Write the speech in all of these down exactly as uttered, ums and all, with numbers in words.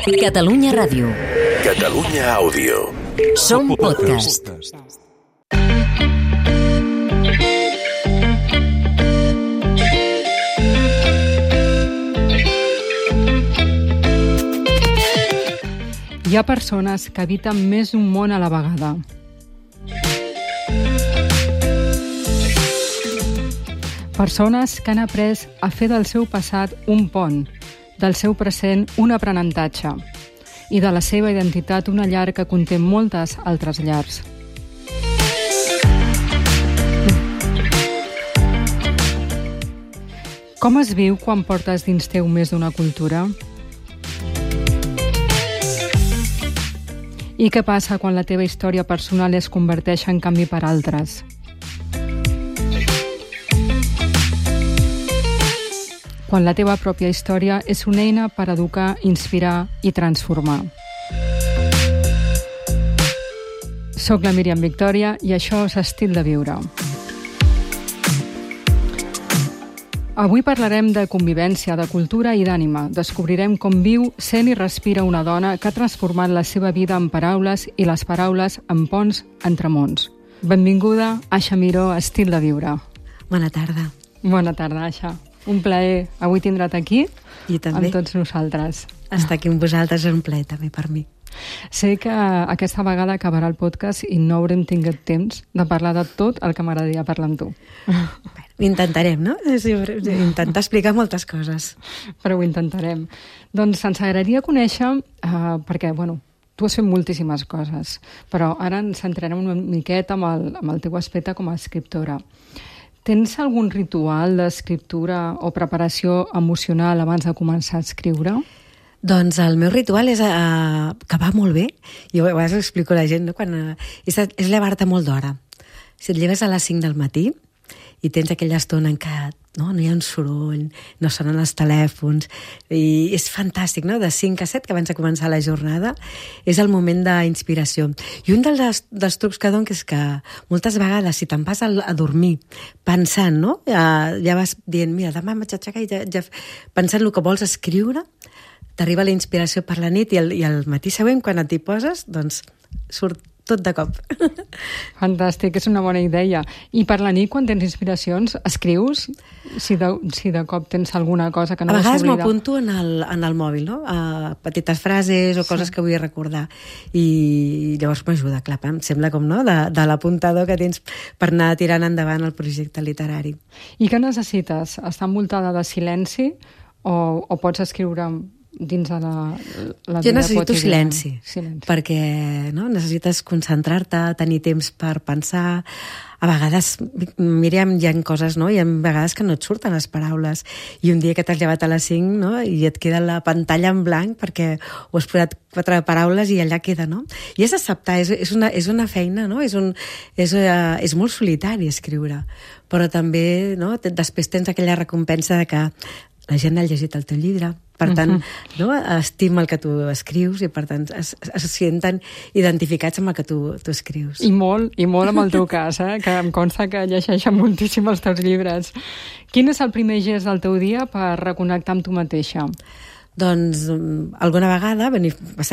Catalunya Ràdio. Catalunya Àudio. Som podcast. Hi ha persones que habiten més d'un món a la vegada. Persones que han après a fer del seu passat un pont, del seu present un aprenentatge i de la seva identitat una llar que conté moltes altres llars. Com es viu quan portes dins teu més d'una cultura? I què passa quan la teva història personal es converteix en canvi per altres? Quan la teva pròpia història és una eina per educar, inspirar i transformar. Soc la Míriam Victòria i això és Estil de Viure. Avui parlarem de convivència, de cultura i d'ànima. Descobrirem com viu, sent i respira una dona que ha transformat la seva vida en paraules i les paraules en ponts entre mons. Benvinguda, Aixa Miró, a Estil de Viure. Bona tarda. Bona tarda, Aixa. Un plaer avui tindre't aquí I també. amb tots nosaltres. Estar aquí amb vosaltres és un plaer també per mi. Sé que aquesta vegada acabarà el podcast i no haurem tingut temps de parlar de tot el que m'agradaria parlar amb tu. Bueno, intentarem, no? Intentar explicar moltes coses. Però ho intentarem. Doncs ens agradaria conèixer, uh, perquè, bueno, tu has fet moltíssimes coses, però ara ens centrarem una miqueta amb el, amb el teu aspecte com a escriptora. Tens algun ritual d'escriptura o preparació emocional abans de començar a escriure? Doncs el meu ritual és uh, que va molt bé, i a vegades ho explico a la gent, no? Quan, uh, és, és llevar-te molt d'hora. Si et lleves a les cinc del matí i tens aquella estona en què no, no hi ha un soroll, no sonen els telèfons, i és fantàstic, no? De cinc a set, que abans de començar la jornada, és el moment d'inspiració. I un dels, dels trucs que dono és que moltes vegades, si te'n vas a, a dormir pensant, no? Ja, ja vas dient, mira, demà m'haig d'aixecar i ja, ja, pensant el que vols escriure, t'arriba la inspiració per la nit i el, i el matí següent, quan et hi poses, doncs surt tot de cop. Fantàstic, és una bona idea. I per la nit, quan tens inspiracions, escrius? Si de, si de cop tens alguna cosa que no vas oblidar. A vegades m'apunto en, el, en el mòbil, no? A petites frases o coses sí. que vull recordar. I llavors m'ajuda, clar, em sembla com, no?, de, de l'apuntador que tens per anar tirant endavant el projecte literari. I què necessites? Estar envoltada de silenci o, o pots escriure dins de la, la vida jo necessito quotidiana? silenci, silenci, perquè no, necessites concentrar-te, tenir temps per pensar. A vegades, Míriam, hi ha coses, no? Hi ha vegades que no et surten les paraules, i un dia que t'has llevat a les cinc, no?, i et queda la pantalla en blanc perquè ho has posat quatre paraules i allà queda, no? I és acceptar, és, és, una, és una feina, no? És, un, és, uh, és molt solitari escriure, però també, no?, després tens aquella recompensa de que la gent ha llegit el teu llibre, per tant, uh-huh. no, estima el que tu escrius i per tant es, es senten identificats amb el que tu, tu escrius. I molt, i molt amb el teu cas, eh? Que em consta que llegeixen moltíssim els teus llibres. Quin és el primer gest del teu dia per reconnectar amb tu mateixa? Doncs alguna vegada,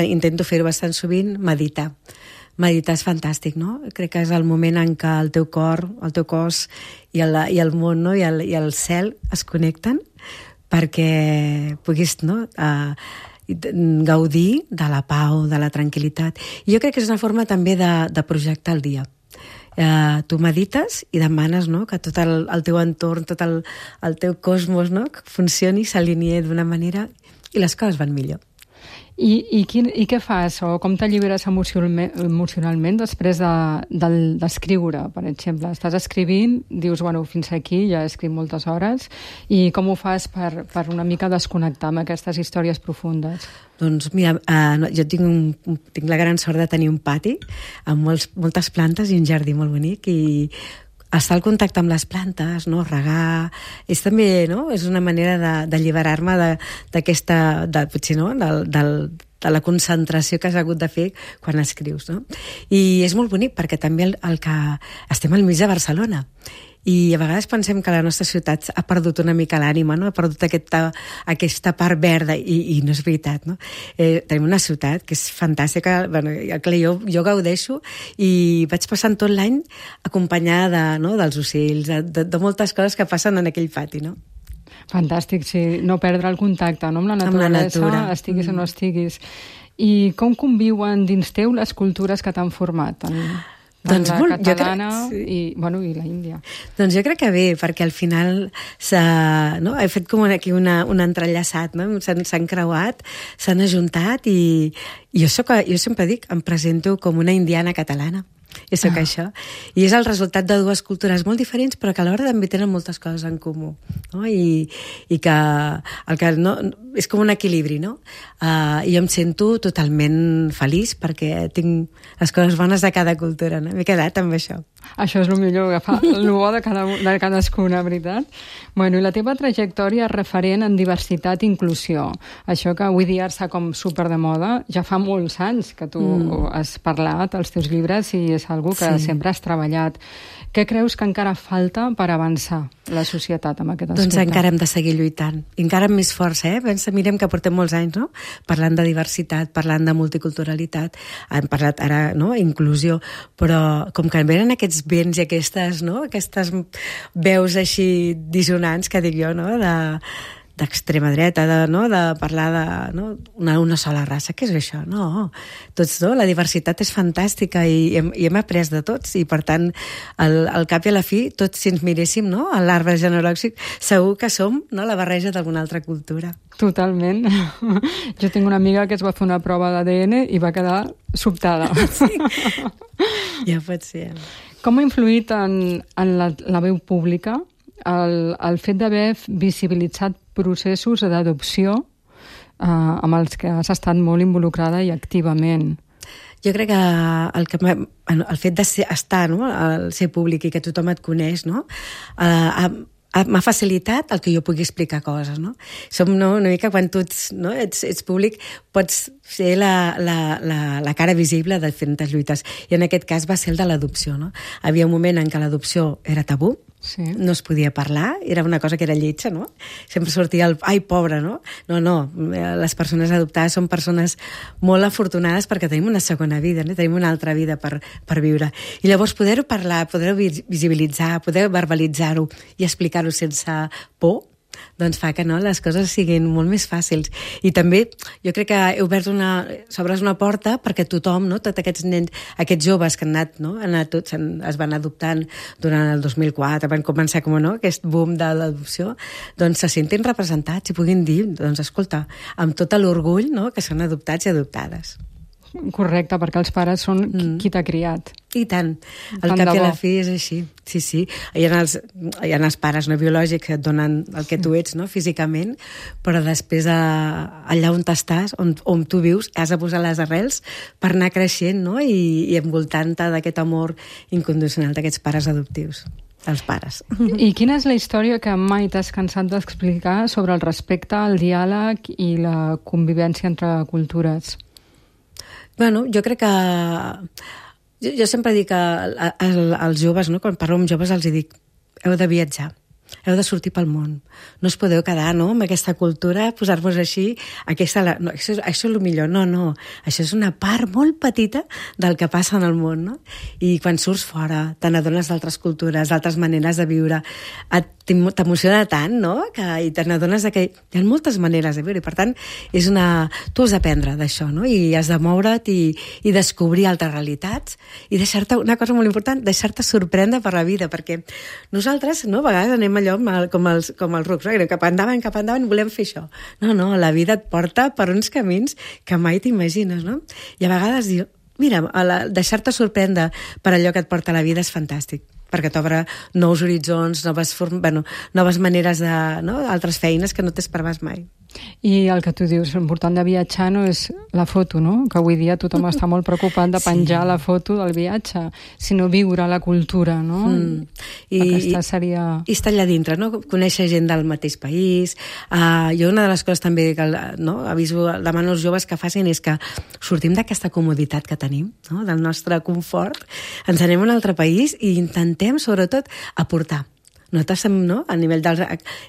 intento fer-ho bastant sovint, meditar. Meditar és fantàstic, no? Crec que és el moment en què el teu cor, el teu cos i el, i el món, no?, i el, i el cel es connecten perquè puguis, no?, uh, gaudir de la pau, de la tranquil·litat. I jo crec que és una forma també de, de projectar el dia. Uh, tu medites i demanes, no?, que tot el, el teu entorn, tot el, el teu cosmos, no?, que funcioni, s'alinei d'una manera i les coses van millor. I, i, quin, I què fas? O com t'alliberes emocionalment, emocionalment després d'escriure, de, per exemple? Estàs escrivint, dius, bueno, fins aquí, ja he escrit moltes hores, i com ho fas per, per una mica desconnectar amb aquestes històries profundes? Doncs mira, uh, jo tinc, un, tinc la gran sort de tenir un pati amb molts, moltes plantes i un jardí molt bonic, i estar al contacte amb les plantes, no?, regar, és també, no?, és una manera d'alliberar-me d'aquesta, de, potser, no?, del, del, de la concentració que has hagut de fer quan escrius, no? I és molt bonic perquè també el, el que estem al mig de Barcelona i a vegades pensem que la nostra ciutat ha perdut una mica l'ànima, no? Ha perdut aquesta, aquesta part verda i, i no és veritat, no? Eh, tenim una ciutat que és fantàstica, bueno, jo, jo gaudeixo i vaig passant tot l'any acompanyada de, no? dels ocells, de, de, de moltes coses que passen en aquell pati, no? Fantàstic, sí, no perdre el contacte, no? Amb la naturalesa, amb la natura. Estiguis mm. o no estiguis. I com conviuen dins teu les cultures que t'han format? En... Doncs la molt, catalana crec, sí. i, bueno, i la índia. Doncs jo crec que bé, perquè al final no? he fet com aquí una, un entrellaçat, no? s'han creuat, s'han ajuntat i, i jo, soc, jo sempre dic, em presento com una indiana catalana. I soc ah. això. I és el resultat de dues cultures molt diferents, però que alhora també tenen moltes coses en comú. No? I, i que, el que no, és com un equilibri, no? Uh, I jo em sento totalment feliç perquè tinc les coses bones de cada cultura, no? M'he quedat amb això. Això és el millor, agafar el bo de, cada, de cadascuna, veritat? Bueno, i la teva trajectòria és referent en diversitat i inclusió. Això que avui dia està com super de moda, ja fa molts anys que tu mm. has parlat als teus llibres i és algo que sí. sempre has treballat. Què creus que encara falta per avançar la societat amb aquest aspecte? Doncs encara hem de seguir lluitant. I encara amb més força, eh? Pensa, mirem que portem molts anys, no? Parlant de diversitat, parlant de multiculturalitat, hem parlat ara, no?, inclusió, però com que venen aquests vents i aquestes, no?, aquestes veus així dissonants, que dic jo, no?, de... d'extrema dreta, de, no? de parlar de no? una, una sola raça. Què és això? No. Tots, no? La diversitat és fantàstica i hem, i hem après de tots i, per tant, al, al cap i a la fi, tots si ens miréssim no? a l'arbre genealògic, segur que som no? la barreja d'alguna altra cultura. Totalment. Jo tinc una amiga que es va fer una prova d'A D N i va quedar sobtada. Sí. Ja pot ser. Com ha influït en, en la, la veu pública el, el fet d'haver visibilitzat processos d'adopció eh, amb els que has estat molt involucrada i activament? Jo crec que el, que el fet de ser, estar, no? el ser públic i que tothom et coneix, no? eh, m'ha facilitat el que jo pugui explicar coses, no? Som no, una mica quan tu ets, no? ets, ets públic, pots ser la, la, la, la cara visible de diferents lluites. I en aquest cas va ser el de l'adopció, no? Havia un moment en què l'adopció era tabú, sí. no es podia parlar, era una cosa que era lletja, no? Sempre sortia el, ai, pobre, no? No, no, les persones adoptades són persones molt afortunades perquè tenim una segona vida, no? Tenim una altra vida per, per viure. I llavors poder-ho parlar, poder-ho visibilitzar, poder verbalitzar-ho i explicar-ho sense por, doncs fa que no, les coses siguin molt més fàcils. I també jo crec que he obert una, s'obres una porta perquè tothom, no, tots aquests nens, aquests joves que han anat, no, han anat tots, es van adoptant durant el dos mil quatre, van començar com no, aquest boom de l'adopció, doncs se sentin representats i puguin dir, doncs escolta, amb tot l'orgull no, que són adoptats i adoptades. Correcte, perquè els pares són mm. qui t'ha criat. I tant. Al cap i a la fi és així. Sí, sí. Hi ha els, hi ha els pares no biològics que et donen el que tu ets, no, físicament, però després a, allà on t'estàs, on, on tu vius, has de posar les arrels per anar creixent, no?, i, i envoltant-te d'aquest amor incondicional d'aquests pares adoptius. Els pares. I quina és la història que mai t'has cansat d'explicar sobre el respecte, el diàleg i la convivència entre cultures? Bueno, jo crec que... Jo, jo sempre dic que als joves, no? Quan parlo amb joves els dic heu de viatjar, heu de sortir pel món. No us podeu quedar, no?, amb aquesta cultura, posar-vos així, aquesta, no, això, això és el millor. No, no, això és una part molt petita del que passa en el món, no? I quan surts fora, te n'adones d'altres cultures, d'altres maneres de viure, t'emociona tant, no?, que, i te n'adones que hi ha moltes maneres de viure, i per tant, és una... tu has d'aprendre d'això, no?, i has de moure't i, i descobrir altres realitats, i deixar-te, una cosa molt important, deixar-te sorprendre per la vida, perquè nosaltres, no?, a vegades anem allò com els, com els rucs, no? Cap endavant, cap endavant, volem fer això. No, no, la vida et porta per uns camins que mai t'imagines, no? I a vegades diu, mira, deixar-te sorprendre per allò que et porta la vida és fantàstic. perquè t'obre nous horitzons, noves, form... bueno, noves maneres de... No? Altres feines que no t'esperaves mai. I el que tu dius, l'important de viatjar no és la foto, no? Que avui dia tothom està molt preocupat de penjar sí. la foto del viatge, sinó viure la cultura, no? Mm. I, Aquesta seria... I estar allà dintre, no? Conèixer gent del mateix país. Uh, jo una de les coses també que no? aviso, demano als joves que facin és que sortim d'aquesta comoditat que tenim, no? Del nostre confort, ens anem a un altre país i intentem, sobretot, aportar. Nosaltres, no? A nivell dels...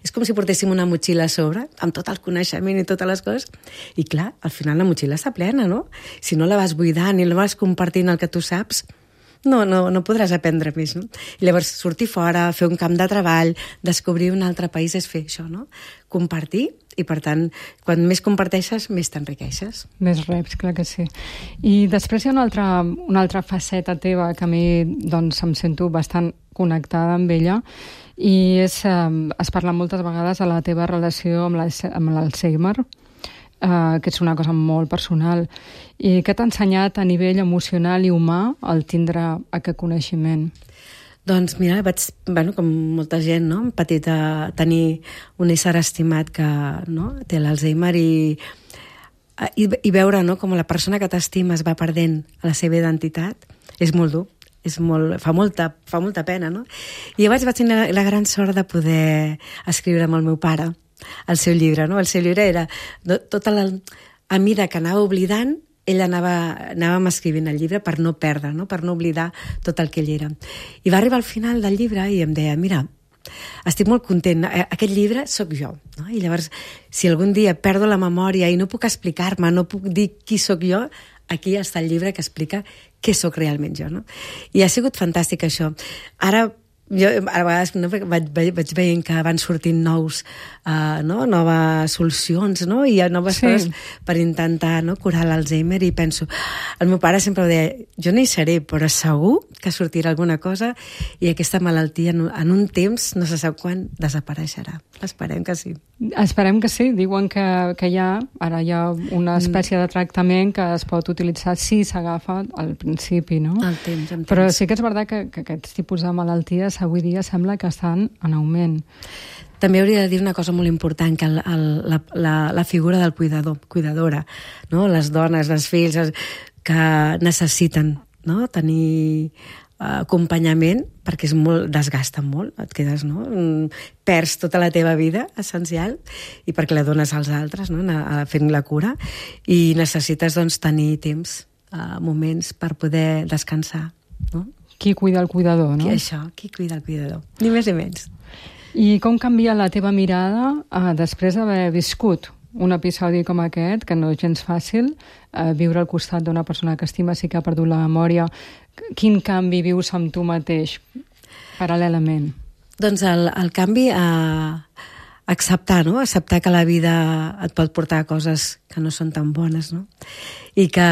És com si portéssim una motxilla a sobre, amb tot el coneixement i totes les coses, i clar, al final la motxilla està plena, no? Si no la vas buidant i la vas compartint el que tu saps, no, no, no podràs aprendre més, no? I llavors sortir fora, fer un camp de treball, descobrir un altre país és fer això, no? Compartir, i per tant, quan més comparteixes, més t'enriqueixes. Més reps, clar que sí. I després hi ha una altra, una altra faceta teva que a mi doncs, em sento bastant connectada amb ella, i és, eh, es parla moltes vegades de la teva relació amb l'Alzheimer, eh, que és una cosa molt personal. I què t'ha ensenyat a nivell emocional i humà el tindre aquest coneixement? Doncs mira, vaig, bueno, com molta gent, no? Hem patit a tenir un ésser estimat que no? té l'Alzheimer i, i, i veure no? com la persona que t'estimes va perdent la seva identitat és molt dur. És molt, fa, molta, fa molta pena, no? I llavors vaig tenir la, la gran sort de poder escriure amb el meu pare el seu llibre, no? El seu llibre era tota la... A mesura que anava oblidant, ell anava, anàvem escrivint el llibre per no perdre, no? Per no oblidar tot el que ell era. I va arribar al final del llibre i em deia, mira, estic molt content, aquest llibre sóc jo, no? I llavors, si algun dia perdo la memòria i no puc explicar-me, no puc dir qui sóc jo, aquí està el llibre que explica què sóc realment jo, no? I ha sigut fantàstic això. Ara, jo a vegades no, vaig, vaig veient que van sortint nous, uh, no? noves solucions, no? I hi ha noves sí. coses per intentar no? curar l'Alzheimer, i penso, el meu pare sempre ho deia, jo no hi seré, però segur que sortirà alguna cosa i aquesta malaltia en, en un temps, no se sap quan, desapareixerà. Esperem que sí. Esperem que sí. Diuen que, que hi ha, ara hi ha una espècie de tractament que es pot utilitzar si s'agafa al principi, no? El temps, en temps. Però sí que és veritat que, que aquests tipus de malalties avui dia sembla que estan en augment. També hauria de dir una cosa molt important, que el, el, la, la, la figura del cuidador, cuidadora, no? Les dones, els fills, que necessiten no? tenir acompanyament, perquè és molt, desgasta molt, et quedes, no? Perds tota la teva vida essencial i perquè la dones als altres, no? Fent la cura, i necessites doncs, tenir temps, uh, moments per poder descansar, no? Qui cuida el cuidador, no? Qui, això, qui cuida el cuidador, ni més ni menys. I com canvia la teva mirada uh, després d'haver viscut un episodi com aquest, que no és gens fàcil, eh, viure al costat d'una persona que estimes i que ha perdut la memòria? Quin canvi vius amb tu mateix, paral·lelament? Doncs el, el canvi a acceptar, no? Acceptar que la vida et pot portar a coses que no són tan bones, no? I que,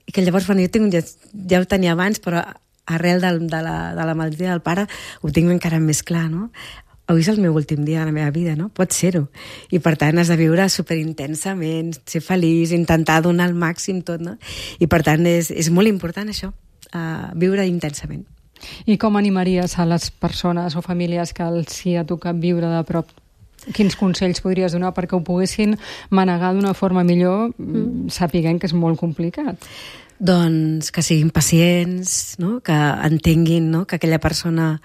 i que llavors, bueno, jo tinc, ja, ja ho tenia abans, però arrel de, de, la, de la malaltia del pare ho tinc encara més clar, no? Avui és el meu últim dia de la meva vida, no? Pot ser-ho. I per tant has de viure superintensament, ser feliç, intentar donar el màxim tot, no? I per tant és, és molt important això, uh, viure intensament. I com animaries a les persones o famílies que els hi ha tocat viure de prop? Quins consells podries donar perquè ho poguessin manegar d'una forma millor, mm. sapiguent que és molt complicat? Doncs que siguin pacients, no? Que entenguin, no? Que aquella persona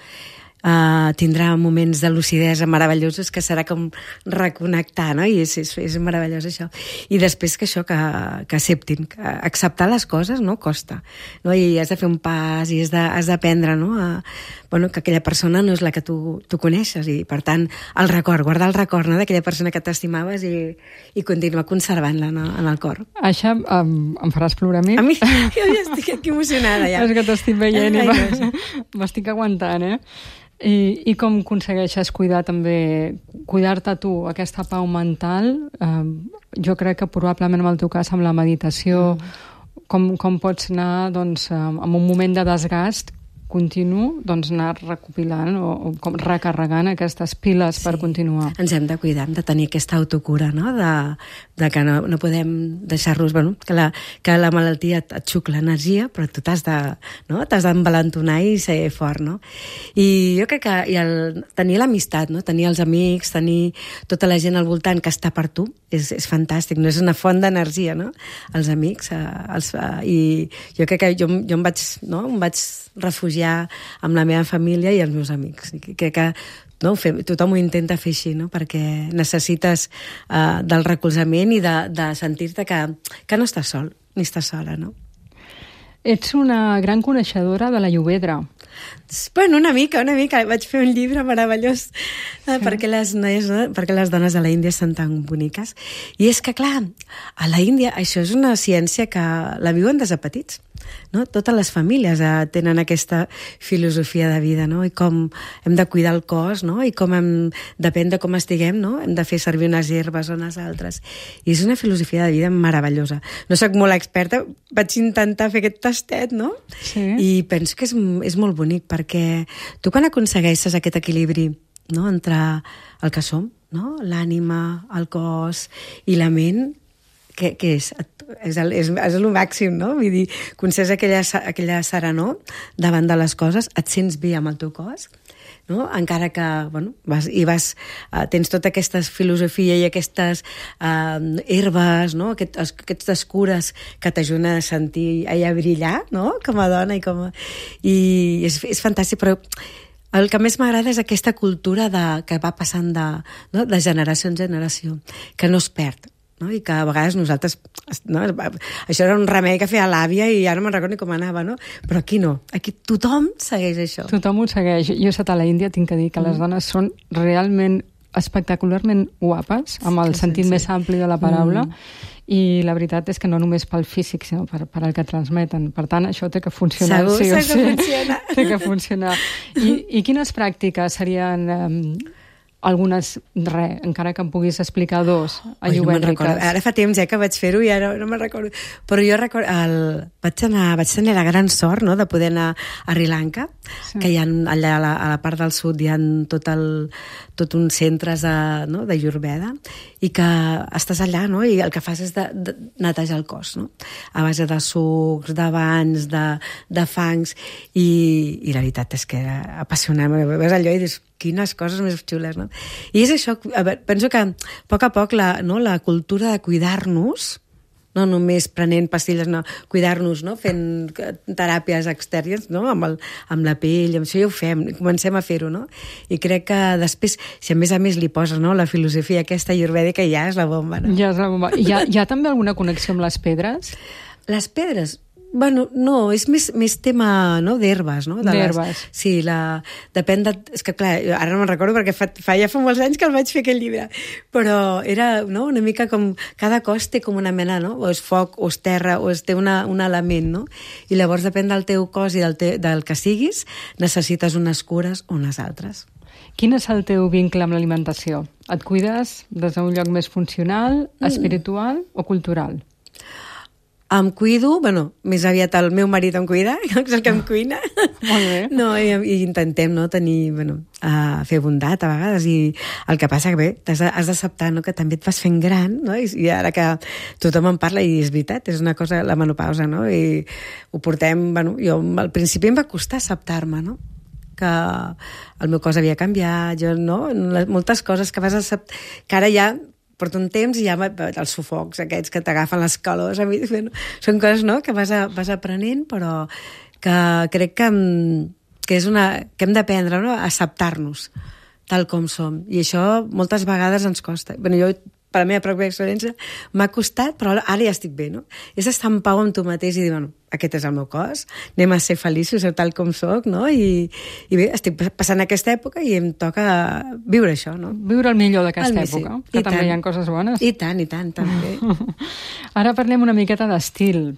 Uh, tindrà moments de lucidesa meravellosos, que serà com reconnectar, no? I és, és, és meravellós això. I després que això, que, que acceptin, que acceptar les coses no costa, no? I has de fer un pas i has d'aprendre, no? A, bueno, que aquella persona no és la que tu, tu coneixes, i per tant el record, guardar el record, no? D'aquella persona que t'estimaves i, i continuar conservant-la, no? En el cor. Això um, em faràs plorar a mi? A mi? Jo ja estic aquí emocionada ja. És que t'estic veient i m'estic aguantant, eh? I, i com aconsegueixes cuidar també, cuidar-te tu, aquesta pau mental? Eh, jo crec que probablement en el teu cas amb la meditació, mm. com, com pots anar doncs, en un moment de desgast, continu, doncs anar recopilant o, o com recarregant aquestes piles sí. per continuar. Ens hem de cuidar, hem de tenir aquesta autocura, no? De, de que no, no podem deixar-nos... Bueno, que, la, que la malaltia et, et xucla l'energia, però tu t'has de, no? t'has d'envalentonar i ser fort, no? I jo crec que i el, tenir l'amistat, no? Tenir els amics, tenir tota la gent al voltant que està per tu, és, és fantàstic, no? És una font d'energia, no? Els amics, eh, els, eh, i jo crec que jo, jo em vaig, no? em vaig refugiar amb la meva família i els meus amics. I crec que no, fer, tothom ho intenta fer així, no? Perquè necessites eh, del recolzament i de, de sentir-te que, que no estàs sol, ni estàs sola, no? Ets una gran coneixedora de la Llobedra. Bueno, una mica, una mica. Vaig fer un llibre meravellós eh, perquè, les noies, no? perquè les dones de la Índia són tan boniques. I és que, clar, a la Índia això és una ciència que la viuen des de petits. No? Totes les famílies eh, tenen aquesta filosofia de vida, no? I com hem de cuidar el cos, no? I com hem, depèn de com estiguem, no? Hem de fer servir unes herbes o unes altres. I és una filosofia de vida meravellosa. No soc molt experta, vaig intentar fer aquest tastet, no? Sí. I penso que és, és molt bonic, perquè tu quan aconsegueixes aquest equilibri, no? Entre el que som, no? L'ànima, el cos i la ment, què, què és? És el, és, és el màxim, no? Vull dir, concedes aquella, aquella serenor davant de les coses, et sents bé amb el teu cos, no? Encara que, bueno, vas, i vas, uh, tens tota aquesta filosofia i aquestes uh, herbes, no? Aquest, aquestes cures que t'ajuden a sentir, a brillar, no? Com a dona i com a... I és, és fantàstic, però el que més m'agrada és aquesta cultura de, que va passant de, no? de generació en generació, que no es perd. No? I que a vegades nosaltres... No? Això era un remei que feia l'àvia i ara no me'n recordo ni com anava, no? Però aquí no. Aquí tothom segueix això. Tothom ho segueix. Jo he estat a la Índia, tinc que dir que mm. les dones són realment espectacularment guapes, amb el sí, sentit sí, sí. més ampli de la paraula, mm. i la veritat és que no només pel físic, sinó per, per el que transmeten. Per tant, això té que funcionar. Segur, sí o sí. que funciona. Té que funcionar. I, i quines pràctiques serien... Um, algunes, res, encara que em puguis explicar dos ayurvèdiques. No ara fa temps ja que vaig fer-ho i ara no me'n recordo. Però jo recordo, el, vaig, anar, vaig tenir la gran sort, no?, de poder anar a Sri Lanka, sí. que hi ha allà a la, a la part del sud hi ha tot, el, tot uns centres de, no?, d'Ayurveda, i que estàs allà, no?, i el que fas és de, de netejar el cos, no?, a base de sucs, de banys, de, de fangs, i, i la veritat és que era apassionant. Ves allò i dius, quines coses més xules, no? I és això, a veure, penso que a poc a poc la, no, la cultura de cuidar-nos, no només prenent pastilles, no, cuidar-nos, no, fent teràpies externes, no, amb, el, amb la pell, amb això ja ho fem, comencem a fer-ho, no? I crec que després, si a més a més li poses, no, la filosofia aquesta ayurvèdica, ja és la bomba, no? Ja és la bomba. Hi ha, hi ha també alguna connexió amb les pedres? Les pedres? Bueno, no, és més, més tema, no?, d'herbes, no? D'herbes. Sí, la... depèn de... És que, clar, ara no me'n recordo perquè fa, fa, ja fa molts anys que el vaig fer aquell llibre, però era, no?, una mica com... Cada cos té com una mena, no?, o és foc, o és terra, o és, té una, un element, no? I llavors, depèn del teu cos i del, te, del que siguis, necessites unes cures o unes altres. Quin és el teu vincle amb l'alimentació? Et cuides des d'un lloc més funcional, espiritual mm. o cultural? Em cuido, bueno, més aviat el meu marit em cuida, que és el que em cuina. Molt bé. No, i, i intentem, no, tenir, bueno, uh, fer bondat a vegades, i el que passa que bé, has, has d'acceptar, no?, que també et vas fent gran, no?, i, i ara que tothom en parla, i és veritat, és una cosa, la menopausa, no?, i ho portem, bueno, jo al principi em va costar acceptar-me, no?, que el meu cos havia canviat, jo, no?, moltes coses que vas acceptar, que ara ja porta un temps i ja els sufocs aquests que t'agafen les calors, a mi, són coses, no?, que vas, a, vas aprenent, però que crec que, que és una, que hem d'aprendre, no?, a acceptar-nos tal com som, i això moltes vegades ens costa. Bueno, jo, per la meva pròpia experiència, m'ha costat, però ara ja estic bé, no? És estar en pau amb tu mateix i dir, bueno, aquest és el meu cos, anem a ser feliços tal com soc, no? I, i bé, estic passant aquesta època i em toca viure això, no? Viure el millor d'aquesta època, que I també tant. Hi ha coses bones. I tant, i tant, també. Ara parlem una miqueta d'estil.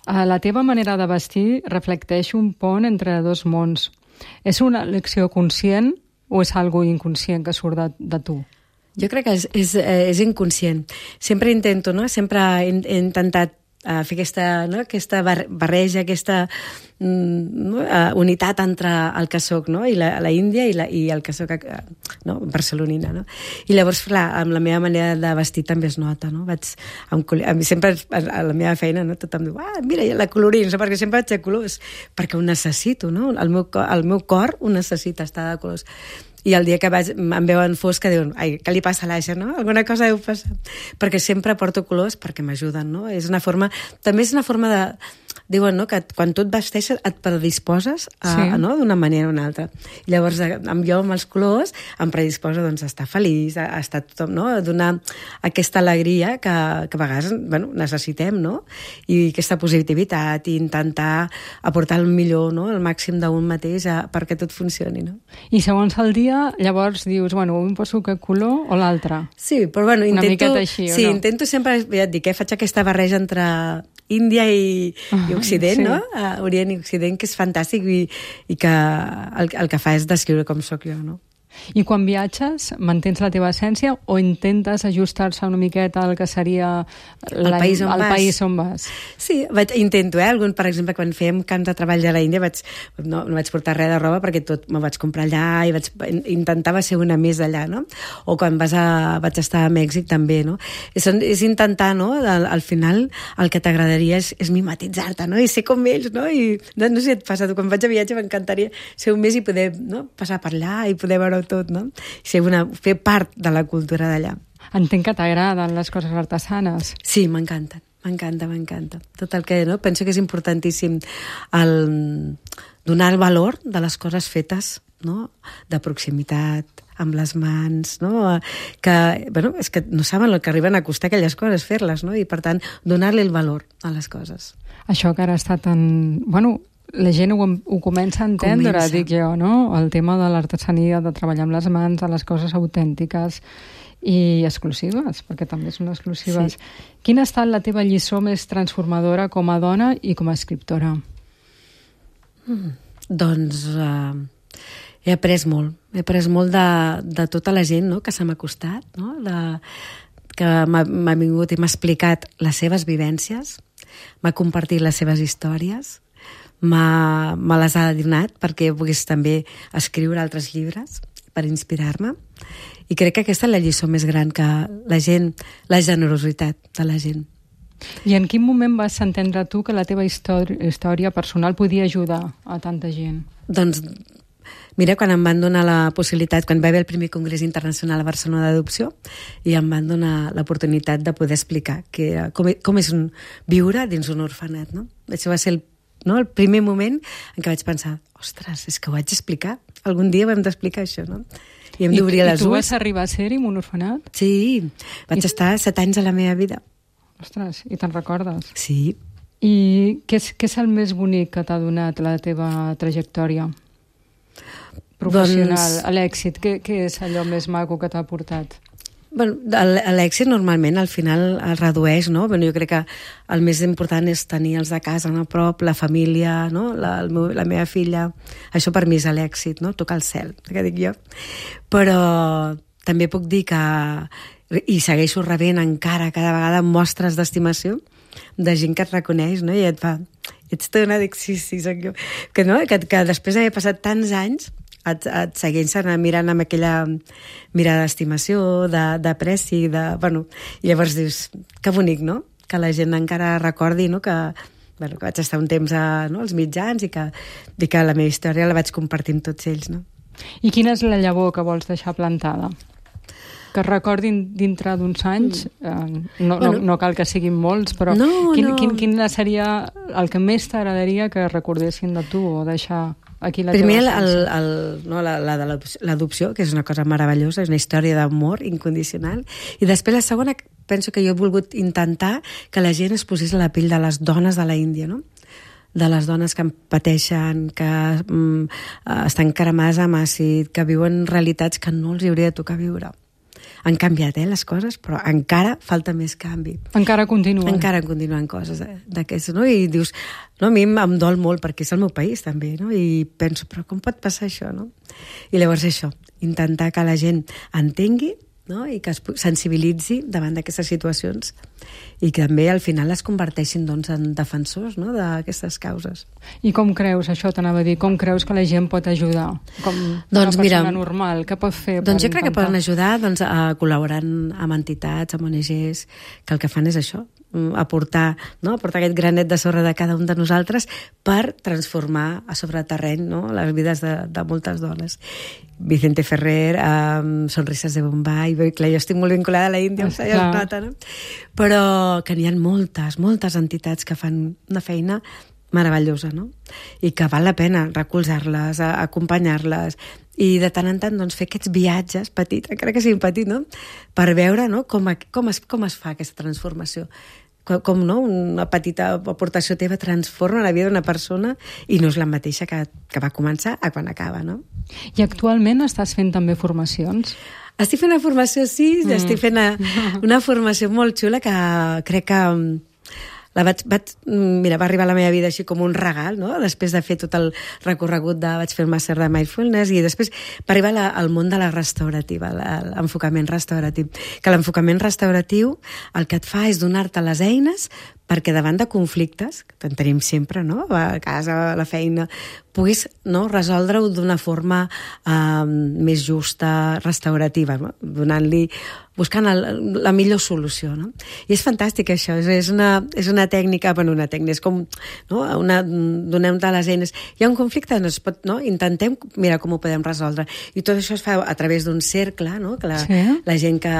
La teva manera de vestir reflecteix un pont entre dos mons. És una elecció conscient o és algo inconscient que surt de, de tu? Jo crec que és, és, és inconscient. Sempre intento, no? Sempre he, he intentat a fer aquesta, no? aquesta barreja, aquesta mm, uh, unitat entre el que soc, no? I la, la Índia i, la, i el que soc uh, no? barcelonina. No? I llavors, clar, amb la meva manera de vestir també es nota. No? Vaig, amb, a mi sempre, a la meva feina, no? tothom diu, ah, mira, la colorins, no? perquè sempre vaig de colors, perquè ho necessito, no? El meu, el meu cor ho necessita, estar de colors. I el dia que vaig, em veuen fosca diuen, ai, què li passa a l'Aixa, no? Alguna cosa deu passar. Perquè sempre porto colors perquè m'ajuden, no? És una forma, també és una forma de, diuen, no?, que quan tu et vesteixes et predisposes a, sí. no?, d'una manera o una altra. I llavors, amb jo, amb els colors, em predisposa, doncs, a estar feliç, a, a estar tothom, no?, a donar aquesta alegria que, que a vegades, bueno, necessitem, no?, i aquesta positivitat, i intentar aportar el millor, no?, el màxim d'un mateix a, perquè tot funcioni, no? I segons el dia, llavors dius, bueno, un poso aquest color o l'altre? Sí, però bueno, una intento... miqueta així, sí, o no? intento sempre, ja et dic, eh, faig aquesta barreja entre Índia i, i Occident, sí. no? Uh, Orient i Occident, que és fantàstic i, i que el, el que fa és descriure com sóc jo, no? I quan viatges, mantens la teva essència o intentes ajustar-se una miqueta al que seria el país on, el vas. país on vas? Sí, vaig, intento, eh? Algun, per exemple, quan fèiem camps de treball a la Índia vaig, no, no vaig portar res de roba perquè tot m'ho vaig comprar allà i vaig, intentava ser una més allà, no? O quan vas a, vaig estar a Mèxic també, no? És, és intentar, no? Al, al final el que t'agradaria és, és mimetitzar-te, no? I ser com ells, no? I no, no sé si et passa, quan vaig a viatge m'encantaria ser un mes i poder, no?, passar per allà i poder veure tot, no? Ser una, fer part de la cultura d'allà. Entenc que t'agraden les coses artesanes. Sí, m'encanten, m'encanta, m'encanta. Tot el que, no? Penso que és importantíssim el donar el valor de les coses fetes, no?, de proximitat, amb les mans, no? Que, bueno, és que no saben el que arriben a costar aquelles coses, fer-les, no? I, per tant, donar-li el valor a les coses. Això que ara està tan... Bueno, la gent ho, ho comença a entendre, comença. Dic jo, no? El tema de l'artesania, de treballar amb les mans, de les coses autèntiques i exclusives, perquè també són exclusives. Sí. Quina ha estat la teva lliçó més transformadora com a dona i com a escriptora? Mm, doncs uh, he après molt. He après molt de, de tota la gent, no?, que se m'ha costat, no?, de, que m'ha vingut i m'ha explicat les seves vivències, m'ha compartit les seves històries, m'ha, me les ha donat perquè pogués també escriure altres llibres per inspirar-me, i crec que aquesta és la lliçó més gran, que la gent, la generositat de la gent. I en quin moment vas entendre tu que la teva història, història personal podia ajudar a tanta gent? Doncs mira, quan em van donar la possibilitat, quan va haver el primer Congrés Internacional a Barcelona d'Adopció, i em van donar l'oportunitat de poder explicar que era, com, com és un, viure dins un orfenat, no? Això va ser el, no, el primer moment en què vaig pensar, ostres, és que ho haig d'explicar. Algun dia ho hem d'explicar, això, no? I hem d'obrir les ulls. I tu vas arribar a ser-hi en un orfenat? Sí, vaig I... estar set anys a la meva vida. Ostres, i te'n recordes? Sí. I què és, què és el més bonic que t'ha donat la teva trajectòria professional, doncs... l'èxit? Què, què és allò més maco que t'ha portat? Bueno, l'èxit normalment al final es redueix, no? Bueno, jo crec que el més important és tenir els de casa a prop, la família, no? la, el meu, la meva filla. Això per mi és l'èxit, no? Tocar el cel, que dic jo. Però també puc dir que, i segueixo rebent encara cada vegada mostres d'estimació de gent que et reconeix, no? I et fa, ets dona, dic, sí, sí, soc jo. Que, no? que, que després d'haver passat tants anys et, et segueixen mirant amb aquella mirada d'estimació, d'apreci, de, bueno, i llavors dius, que bonic, no?, que la gent encara recordi, no?, que, bueno, que vaig estar un temps a, no?, als mitjans i que, i que la meva història la vaig compartir amb tots ells, no? I quina és la llavor que vols deixar plantada? Que es recordin dintre d'uns anys, eh, no, bueno, no, no cal que siguin molts, però no, quin, no. Quin, quin seria el que més t'agradaria que recordessin de tu o deixar aquí la Primer, teva el, el, no, la, la de l'adopció, que és una cosa meravellosa, és una història d'amor incondicional, i després la segona, penso que jo he volgut intentar que la gent es posés a la pell de les dones de la Índia, no?, de les dones que pateixen, que mm, estan cremades amb àcid, que viuen realitats que no els hauria de tocar viure. Han canviat, eh, les coses, però encara falta més canvi. Encara continuen. Encara continuen coses d'aquestes, no? I dius, no, a mi em dol molt perquè és el meu país, també, no? I penso, però com pot passar això, no? I llavors això, intentar que la gent entengui no? I que es sensibilitzi davant d'aquestes situacions i que també al final es converteixin doncs, en defensors, no? d'aquestes causes. I com creus, això t'anava a dir, com creus que la gent pot ajudar? Com doncs, una persona mira, normal, què pot fer? Doncs jo crec intentar? que poden ajudar doncs, a col·laborant amb entitats, amb O N Ges, que el que fan és això, aportar, no? aportar aquest granet de sorra de cada un de nosaltres per transformar a sobre terreny, no? les vides de, de moltes dones. Vicente Ferrer, um, Sonrises de Bombay, bé, clar, jo estic molt vinculada a la Índia, ja es nota, no? Però que n'hi ha moltes, moltes entitats que fan una feina meravellosa, no? I que val la pena recolzar-les, acompanyar-les, i de tant en tant doncs, fer aquests viatges petits, encara que siguin petits, no? Per veure no? com, com, es, com es fa aquesta transformació. Com, com no? una petita aportació teva transforma la vida d'una persona i no és la mateixa que, que va començar a quan acaba, no? I actualment estàs fent també formacions? Estic fent una formació, sí, mm. estic fent una, una formació molt xula que crec que la vaig, vaig, mira, va arribar a la meva vida així com un regal, no? Després de fer tot el recorregut de... vaig fer el màster de Mindfulness i després va arribar la, al món de la restaurativa, l'enfocament restauratiu. Que l'enfocament restauratiu el que et fa és donar-te les eines perquè davant de conflictes, que en tenim sempre, no? A casa, a la feina, puguis no? resoldre-ho d'una forma eh, més justa, restaurativa, no? Donant-li, buscant el, la millor solució, no? I és fantàstic això, és, és, una, és una tècnica, bueno, una tècnica, és com, no? Una, donem-te les eines. Hi ha un conflicte, no es pot, no? Intentem mirar com ho podem resoldre. I tot això es fa a través d'un cercle, no? Que la, sí. la gent que,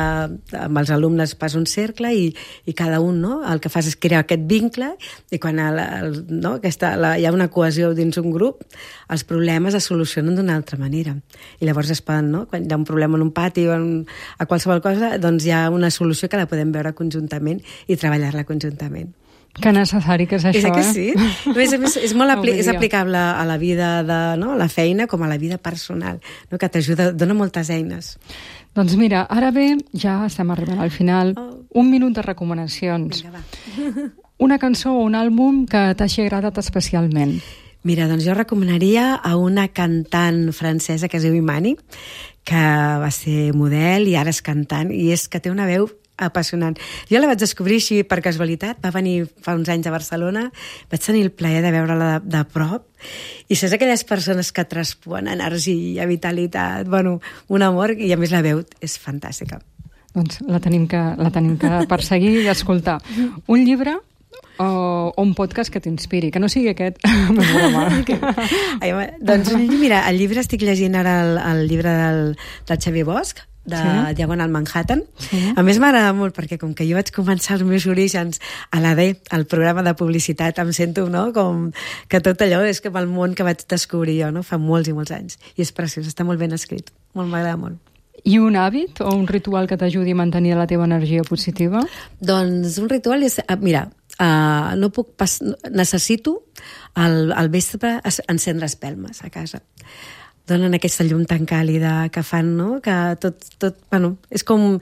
amb els alumnes passa un cercle i, i cada un, no? El que fas és crear aquest vincle i quan el, el, no? Aquesta, la, hi ha una cohesió dins un grup, els problemes es solucionen d'una altra manera. I llavors es poden, no? Quan hi ha un problema en un pati o en, a qualsevol cosa, doncs hi ha una solució que la podem veure conjuntament i treballar-la conjuntament. Que necessari que és això, és que eh? sí. A més a més, és molt apli és aplicable a la vida de, no? a la feina com a la vida personal, no? Que t'ajuda, dona moltes eines. Doncs mira, ara bé, ja estem arribant al final. Oh. Un minut de recomanacions. Vinga, va. Una cançó o un àlbum que t'hagi agradat especialment. Mira, doncs jo recomanaria a una cantant francesa que es diu Imani, que va ser model i ara és cantant, i és que té una veu apassionant. Jo la vaig descobrir així per casualitat, va venir fa uns anys a Barcelona, vaig tenir el plaer de veure-la de, de prop, i saps aquelles persones que traspuen energia, vitalitat, bueno, un amor, i a més la veu és fantàstica. Doncs la tenim que, la tenim que perseguir i escoltar. Un llibre o, o un podcast que t'inspiri, que no sigui aquest. Ai, doncs mira, el llibre estic llegint ara el, el llibre del, del Xavier Bosch, de sí? Diagonal Manhattan. Sí? A més m'agrada molt perquè com que jo vaig començar els meus orígens a l'A D, al programa de publicitat, em sento, no?, com que tot allò és com el món que vaig descobrir jo, no?, fa molts i molts anys. I és preciós, està molt ben escrit. Molt, m'agrada molt. I un hàbit o un ritual que t'ajudi a mantenir la teva energia positiva? Doncs un ritual és... Mira, uh, no puc pas, necessito al, al vespre encendre espelmes a casa. Donen aquesta llum tan càlida que fan, no?, que tot, tot, bueno, és com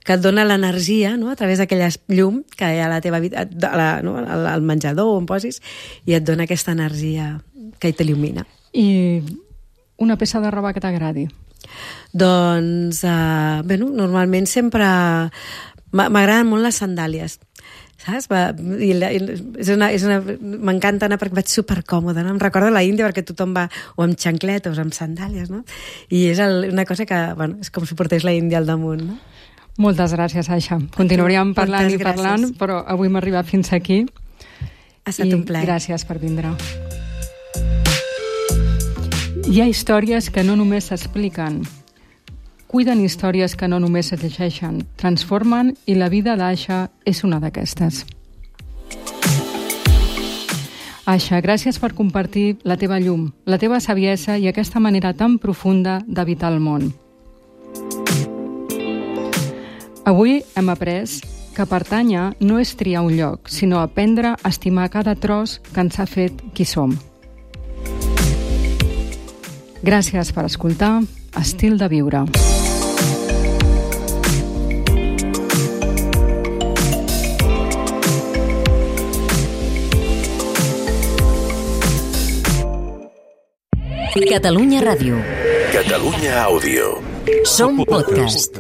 que et dona l'energia, no?, a través d'aquella llum que hi ha a la teva vida, a la, no?, al menjador on posis, i et dona aquesta energia que t'il·lumina. I una peça de roba que t'agradi? Doncs, uh, bueno, normalment sempre m'agraden molt les sandàlies, saps? Va, i la, és una, és una, m'encanta anar perquè vaig supercòmoda, no? Em recordo la Índia perquè tothom va o amb xancletes o amb sandàlies, no? I és el, una cosa que, bueno, és com si portés la Índia al damunt, no? Moltes gràcies, Aixa. Continuaríem parlant i parlant, però avui hem arribat fins aquí. Ha estat un plaer. Gràcies per vindre. Hi ha històries que no només s'expliquen, cuiden històries que no només es llegeixen, transformen, i la vida d'Aixa és una d'aquestes. Aixa, gràcies per compartir la teva llum, la teva saviesa i aquesta manera tan profunda d'habitar el món. Avui hem après que pertànyer no és triar un lloc, sinó aprendre a estimar cada tros que ens ha fet qui som. Gràcies per escoltar Estil de Viure. Catalunya Ràdio. Catalunya Àudio. Som podcast.